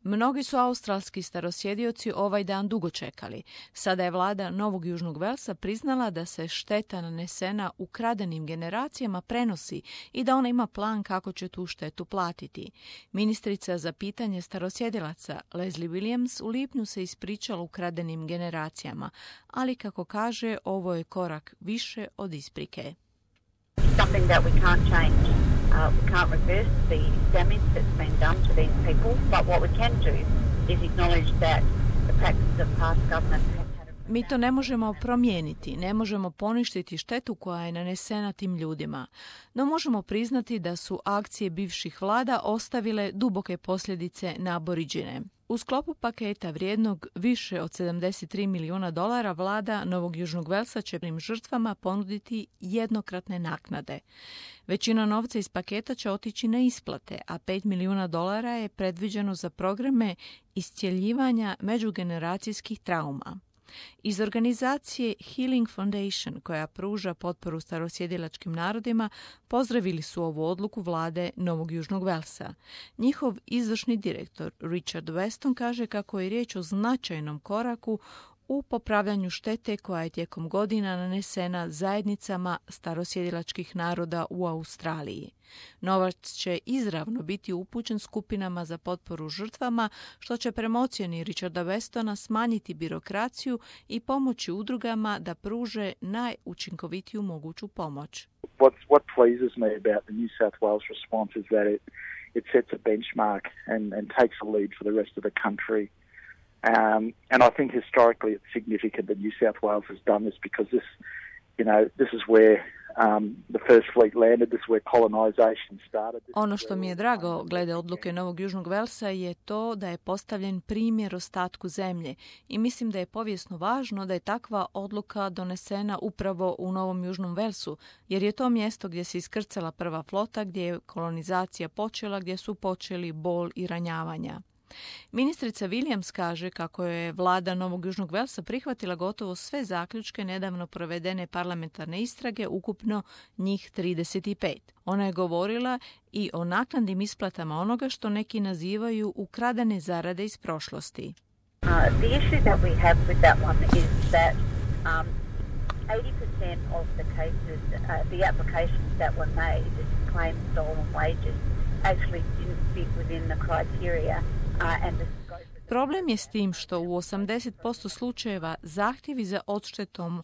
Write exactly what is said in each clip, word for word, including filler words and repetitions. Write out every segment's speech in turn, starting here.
Mnogi su australski starosjedioci ovaj dan dugo čekali. Sada je vlada Novog Južnog Velsa priznala da se šteta nanesena ukradenim generacijama prenosi i da ona ima plan kako će tu štetu platiti. Ministrica za pitanje starosjedilaca Leslie Williams u lipnju se ispričala ukradenim generacijama, ali kako kaže, ovo je korak više od isprike. Something that we can't change. Uh, we can't reverse the damage that's been done to these people, but what we can do is acknowledge that the practices of past governments have had a... Mi to ne možemo promijeniti, ne možemo poništiti štetu koja je nanesena tim ljudima, no možemo priznati da su akcije bivših vlada ostavile duboke posljedice na Aboriđine. U sklopu paketa vrijednog više od sedamdeset tri milijuna dolara vlada Novog Južnog Velsa će tim žrtvama ponuditi jednokratne naknade. Većina novca iz paketa će otići na isplate, a pet milijuna dolara je predviđeno za programe iscjeljivanja međugeneracijskih trauma. Iz organizacije Healing Foundation, koja pruža potporu starosjedilačkim narodima, pozdravili su ovu odluku vlade Novog Južnog Velsa. Njihov izvršni direktor Richard Weston kaže kako je riječ o značajnom koraku u popravljanju štete koja je tijekom godina nanesena zajednicama starosjedilačkih naroda u Australiji. Novac će izravno biti upućen skupinama za potporu žrtvama, što će prema ocjeni Richarda Westona smanjiti birokraciju i pomoći udrugama da pruže najučinkovitiju moguću pomoć. What, what pleases me about the New South Wales response is that it, it sets a benchmark and, and takes a lead for the rest of the country. Um, and I think historically it's significant that New South Wales has done this because this, you know, this is where um, the first fleet landed, this is where colonization started. Ono što mi je drago glede odluke Novog Južnog Velsa je to da je postavljen primjer ostatku zemlje i mislim da je povijesno važno da je takva odluka donesena upravo u Novom Južnom Velsu, jer je to mjesto gdje se iskrcala prva flota, gdje je kolonizacija počela, gdje su počeli bol i ranjavanja. Ministrica Williams kaže kako je vlada Novog Južnog Velsa prihvatila gotovo sve zaključke nedavno provedene parlamentarne istrage, ukupno njih trideset pet. Ona je govorila i o naknadnim isplatama onoga što neki nazivaju ukradene zarade iz prošlosti. Uh, the issue that we have with that one is that um, eighty percent of the cases, uh, the applications that were made to claim stolen wages actually didn't fit within the criteria. Problem je s tim što u osamdeset posto slučajeva zahtjevi za odštetom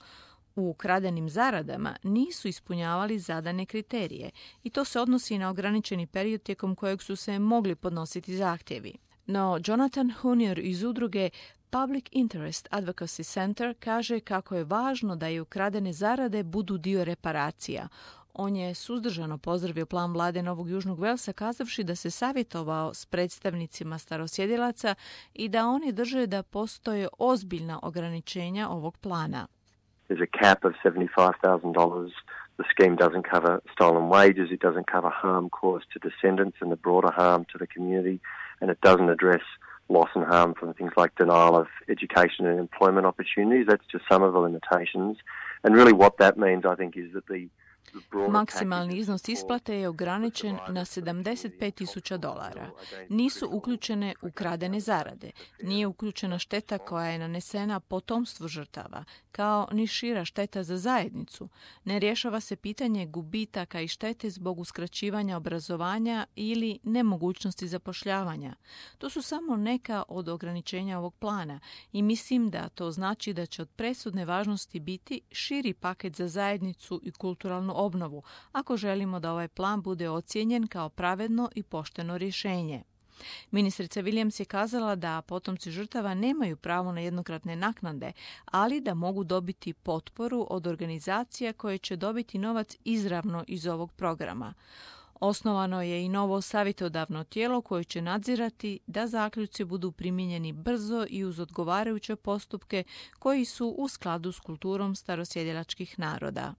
u ukradenim zaradama nisu ispunjavali zadane kriterije i to se odnosi na ograničeni period tijekom kojeg su se mogli podnositi zahtjevi. No, Jonathan Hunier iz udruge Public Interest Advocacy Center kaže kako je važno da i ukradene zarade budu dio reparacija. On je suzdržano pozdravio plan vlade Novog Južnog Velsa kazavši da se savjetovao s predstavnicima starosjedilaca i da oni drže da postoje ozbiljna ograničenja ovog plana. There's a cap of seventy-five thousand dollars. The scheme doesn't cover stolen wages, it doesn't cover harm caused to descendants and the broader harm to the community, and it doesn't address loss and harm from things like denial of education and employment opportunities. That's just some of the limitations. And really what that means, I think, is that the Maksimalni iznos isplate je ograničen na sedamdeset pet tisuća dolara. Nisu uključene ukradene zarade. Nije uključena šteta koja je nanesena potomstvu žrtava, kao ni šira šteta za zajednicu. Ne rješava se pitanje gubitaka i štete zbog uskraćivanja obrazovanja ili nemogućnosti zapošljavanja. To su samo neka od ograničenja ovog plana i mislim da to znači da će od presudne važnosti biti širi paket za zajednicu i kulturalnu obnovu, ako želimo da ovaj plan bude ocijenjen kao pravedno i pošteno rješenje. Ministrica Williams je kazala da potomci žrtava nemaju pravo na jednokratne naknade, ali da mogu dobiti potporu od organizacija koje će dobiti novac izravno iz ovog programa. Osnovano je i novo savjetodavno tijelo koje će nadzirati da zaključci budu primijenjeni brzo i uz odgovarajuće postupke koji su u skladu s kulturom starosjedilačkih naroda.